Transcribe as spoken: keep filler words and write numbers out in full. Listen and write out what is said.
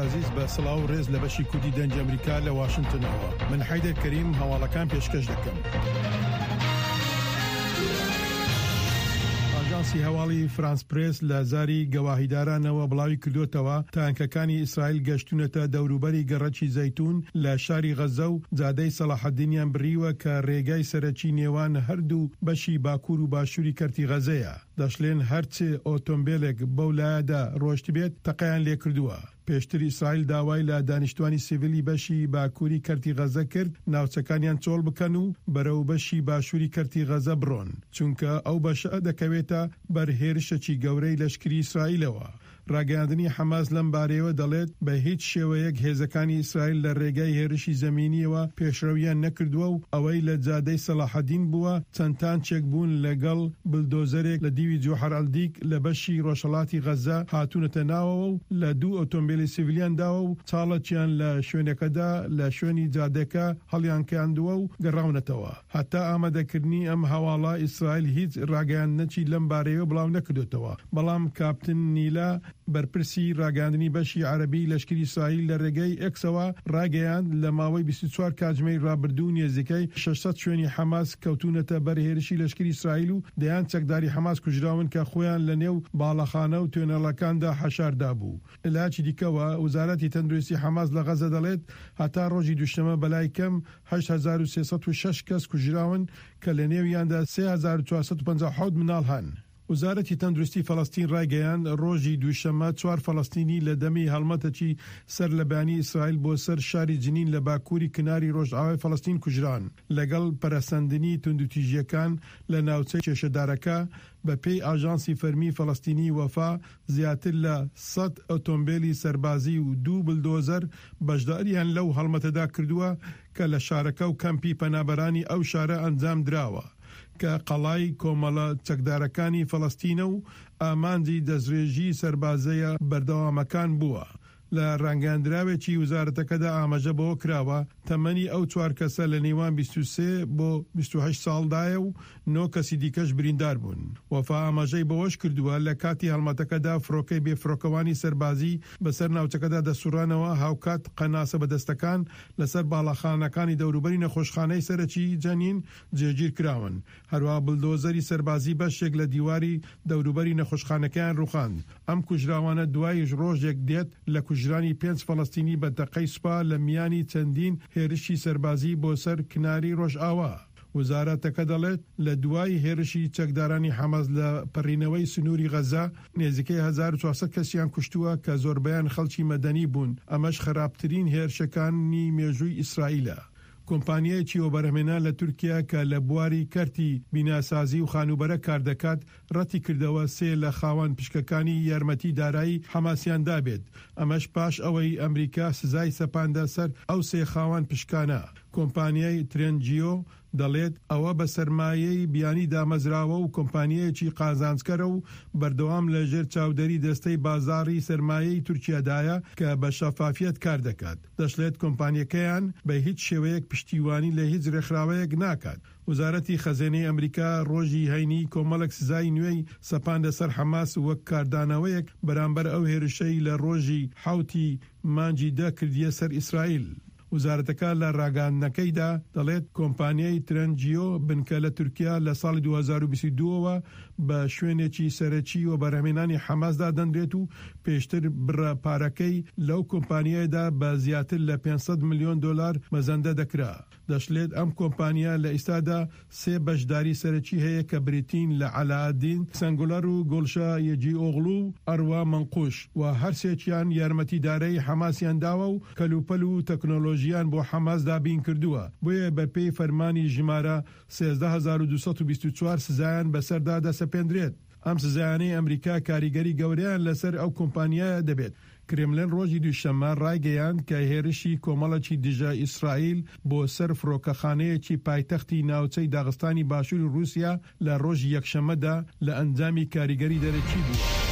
ئازیز بە سڵاو و ڕێز لە بەشی کوردی دەنگی ئەمریکا لە واشنتنەوە من حەیدەر کەریم هەواڵەکان پێشکەش دەکەم. ئاژانسی هەواڵی فرانس پرێس لە زاری گەواهیدارانەوە بڵاوی کردوتەوە تانکەکانی ئیسرائیل گەشتونەتە دەوروبەری گەڕەکی زەیتون لە شاری غەزە و جادەی سەلاحەدینیان بڕیوە کە ڕێگای سەرەکی نێوان هەردوو بەشی باکوور و باشووری کەرتی غەزەیە. دەشڵێن هەرچ ئۆتۆمبیلێک بەو لایەدا ڕۆشتبێت تەقەیان لێکردووە. پێشتر ئیسرائیل داوای لە دانیشتوانی سیڤیلی بەشی باکووری کەرتی غەزە کرد ناوچەکانیان چۆڵ بکەن و بەرەو بەشی باشووری کەرتی غەزە بڕۆن، چونکە ئەو بەشە دەکەوێتە بەر هێرشێکی گەورەی لەشکری ئیسرائیلەوە. ڕاگەیاندنی حەماس لەم بارەیەوە دەڵێت بە هیچ شێوەیەک هێزەکانی ئیسرائیل لە ڕێگای هێرشی زەمینیەوە پێشڕەویان نەکردووە و ئەوەی لە جادەی سەلاحەدین بووە چەند تانچێک بوون لەگەڵ بلدۆزەرێک لە دیوی جوحەر ئەلدیک لە بەشی ڕۆژهەڵاتی غەزە هاتوونەتە ناوەوە و لە دوو ئۆتۆمبیلی سیڤیلیان داوە و چاڵەکیان لە شوێنەکەدا لە شوێنی جادەکە هەڵیانکاندووە و گەڕاونەتەوە. هەتا ئامادەکردنی ئەم هەواڵە ئیسرائیل هیچ ڕاگەیاندنێکی لەم بارەیەوە بڵاو نەکردوێتەوە، بەڵام کاپتن نیلا بەرپرسی ڕاگەیاندنی بەشی عەرەبی لەشکری ئیسرائیل لە ڕێگەی ئێکسەوە ڕاگەیاند لە ماوەی بیست و چوار کاتژمێری ڕابردوو نێزیکەی شەش سەد شوێنی حەماس کەوتونەتە بەر هێرشی لەشکری ئیسرائیل و دەیان چەکداری حەماس کوژراون کە خۆیان لە نێو باڵەخانە و توێنەڵەکاندا حەشاردا بوو. لەلایەکی دیکەوە وەزارەتی تەندروستی حەماس لە غەزە دەڵێت هەتا ڕۆژی دووشەممە بەلای کەم هەشت هەزار و سێ سەد و شەش کەس کوژراون کە لە نێویاندا سێ هەزار و چوار سەد و پەنجا و حەوت مناڵ هەن. وەزارەتی تەندروستی فەلەستین ڕایگەیاند ڕۆژی دووشەممە چوار فەلەستینی لە دەمی هەڵمەتێکی سەر لە بەیانی ئیسرائیل بۆ سەر شاری جنین لە باکووری کناری ڕۆژئاوای فەلەستین کوژران. لەگەڵ پەرەسەندنی توندوتیژیەکان لە ناوچەی کێشەدارەکە، بە پێی ئاژانسی فەرمی فەلەستینی وەفا زیاتر لە سەد ئۆتۆمبیلی سەربازی و دوو بلدۆزەر بەشداریان لەو هەڵمەتەدا کردووە کە لە شارەکە و کەمپی پەنابەرانی ئەو شارە ئەنجام دراوە کە قەڵای کۆمەڵە چەکدارەکانی فەلەستینە و ئامانجی دەستڕێژی سەربازەیە بەردەوامەکان بووە. لە ڕاگەیاندراوێکی وزارەتەکەدا ئاماژە بەوە کراوە تەمەنی ئەو چوار کەسە لە نێوان بیست و سێ بۆ بیست و هەشت ساڵدایە و نۆ کەسی دیکەش بریندار بوون. وەفا ئاماژەی بەوەش کردووە لە کاتی هەڵمەتەکەدا فڕۆکەی بێفڕۆکەوانی سەربازی بەسەر ناوچەکەدا دەسوڕانەوە، هاوکات قەناسە بەدەستەکان لەسەر باڵەخانەکانی دەوروبەری نەخۆشخانەی سەرەکی جەنین جێگیر کراون. هەروەها بلدۆزەری سەربازی بەشێک لە دیواری دەوروبەری نەخۆشخانەکەیان ڕووخاند. ئەم کوژراوانە دوای ڕۆژێک دێت لە کوژرانی پێنج فەلەستینی بە تەقەی سوپا لە میانی چەندین هێرشی سەربازی بۆ سەر کناری ڕۆژئاوا. وەزارەتەکە دەڵێت لە دوای هێرشی چەکدارانی حەماس لە پەڕینەوەی سنووری غەزە نێزیکەی هەزار و چوار سەد کەسیان کوشتووە کە زۆربەیان خەڵکی مەدەنی بوون، ئەمەش خراپترین هێرشەکانی مێژووی ئیسرائیلە. کۆمپانیایەکی وەبەرهێنان لە تورکیا کە لە بواری کەرتی بیناسازی و خانووبەرە کار دەکات ڕەتی کردەوە سێ لە خاوەن پشکەکانی یارمەتی دارایی حەماسیان دابێت، ئەمەش پاش ئەوەی ئەمریکا سزای سەپاندە سەر ئەو سێ خاوەن پشکانە. کۆمپانیای ترێنجیۆ دەڵێت ئەوە بە سەرمایەی بیانی دامەزراوە و کۆمپانیایەکی قازانجکەرە و بەردەوام لە ژێر چاودێری دەستەی بازاڕی سەرمایەی تورکیادایە کە بە شەفافیەت کار دەکات. دەشڵێت کۆمپانیەکەیان بە هیچ شێوەیەک پشتیوانی لە هیچ ڕێکخراوەیەک ناکات. وەزارەتی خەزێنەی ئەمریکا ڕۆژی هەینی کۆمەڵێک سزای نوێی سەپاندە سەر حەماس وەک کاردانەوەیەک بەرامبەر ئەو هێرشەی لە ڕۆژی حەوتی مانگی دە کردیە سەر ئیسرائیل. وەزارەتەکە لە ڕاگەیاندنەکەیدا دەڵێت کۆمپانیای ترەنجیۆ بنکە لە تورکیا لە ساڵی دوو هەزار و بیست و دوو بە شوێنێکی سەرەکی و بەرهەمهێنانی حەماسدا دەنرێت و پێشتر بڕە پارەکەی لەو کۆمپانیایدا بە زیاتر لە پێنج سەد ملیۆن دۆلار مەزەندە دەکرا. دەشڵێت ئەم کۆمپانیا لە ئێستادا سێ بەشداری سەرەکی هەیە کە بریتین لە عەلائەدین سەنگولەر و گوڵشە یەجی ئۆغڵو و ئەروا مەنقوش و هەرسێکیان یارمەتی دارایی حەماسیان داوە و کەلوپەل و تەکنۆلۆژیان بۆ حەماس دابین کردووە، بۆیە بەپێی فەرمانی ژمارە سێزدە هەزار و دوو سەد و بیست و چوار سزایان بەسەردا دەسەپێندرێت. ئەم سزایانەی ئەمریکا کاریگەری گەورەیان لەسەر ئەو کۆمپانیایە دەبێت. کرملن ڕۆژی دووشەممە ڕایگەیاند کە هێرشی کۆمەڵێکی دژە ئیسرائیل بۆ سەر فڕۆکەخانەیەکی پایتەختی ناوچەی داغستانی باشووری ڕووسیا لە ڕۆژی یەکشەممەدا لە ئەنجامی کاریگەری دەرەکی بووە.